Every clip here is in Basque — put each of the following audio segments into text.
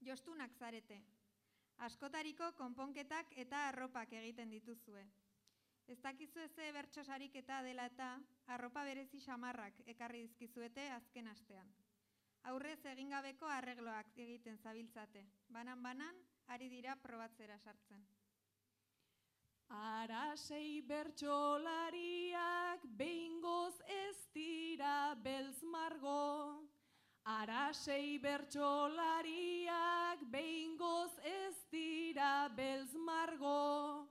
jostunak zarete. Askotariko konponketak eta arropak egiten dituzue. Ez dakizu eze bertso sariketa dela eta arropa berezi xamarrak ekarri dizkizuete azken astean. Aurrez egingabeko arregloak egiten zabiltzate. Banan-banan ari dira probatzera sartzen. Arasei bertsolariak behingoz ez dira beltz margo. Arasei bertsolariak behingoz ez dira beltz margo.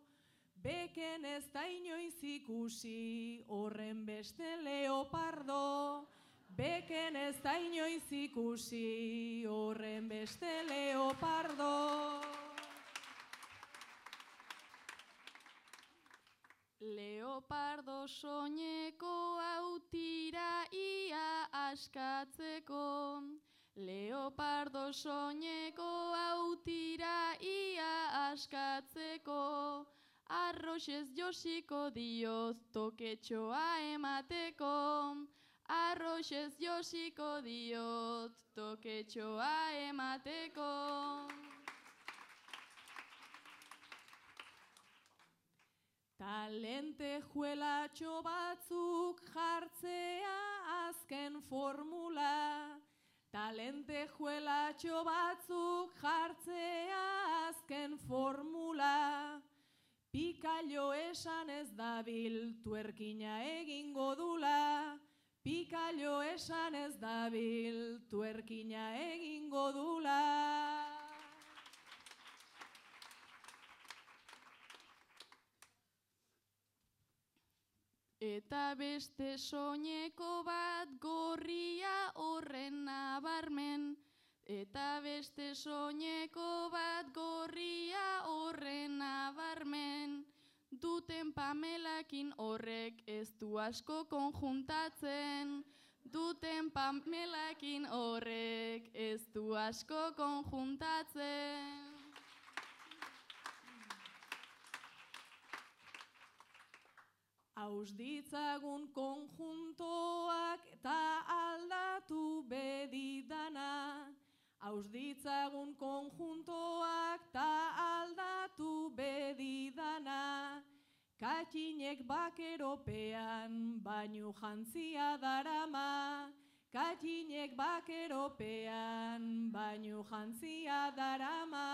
Beken ez da inoiz ikusi horren beste leopardo. Beken ez da inoiz ikusi horren beste leopardo. Leopardo soineko autira ia askatzeko. Leopardo soineko autira ia askatzeko. Arroxez josiko dioz toketxoa emateko. Arroxez josiko diot toketxoa emateko. Talente juelatxo batzuk jartzea azken formula. Talente juelatxo batzuk jartzea azken formula. Pikailo esan ez dabil tuerkina egingo dula. Pikailo esan ez dabil tuerkina egingo dula. Eta beste soineko bat gorria horren nabarmen. Eta beste soineko bat gorria horren nabarmen. Duten Pamelakin horrek ez du asko konjuntatzen. Duten Pamelakin horrek ez du asko konjuntatzen. Hauz ditzagun konjuntoak eta aldatu bedidana. Hauz ditzagun konjuntoak eta aldatu bedidana. Katxinek bakeropean bainu jantzia darama. Katxinek bakeropean bainu jantzia darama.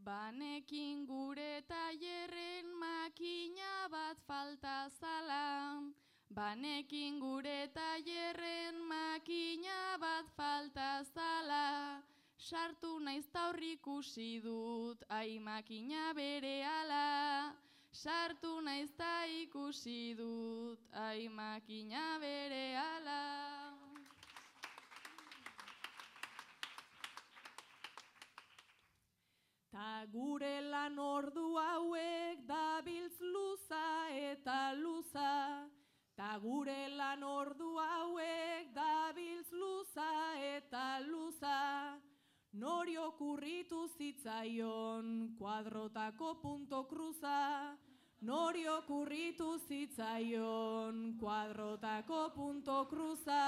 Banekin gure tailerren makina bat falta zala. Banekin gure tailerren makina bat falta zala. Sartu naiz ta hor ikusi dut, ai makina berehala. Sartu naiz ta ikusi dut, ai makina berehala. Ta gure lan ordu hauek dabiltz luza eta luza. Ta gure lan ordu hauek dabiltz luza eta luza. Nori okurritu zitzaion kuadrotako punto cruza. Nori okurritu zitzaion kuadrotako punto cruza.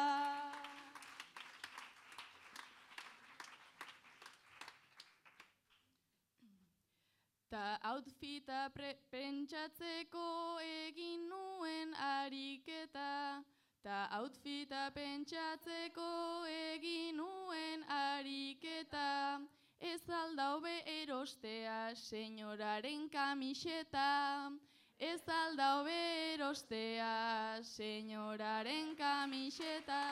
Ta outfita pentsatzeko egin nuen ariketa. Ta outfita pentsatzeko egin nuen ariketa. Ez alda hobe erostea senyoraren kamiseta. Ez alda hobe erostea senyoraren kamiseta.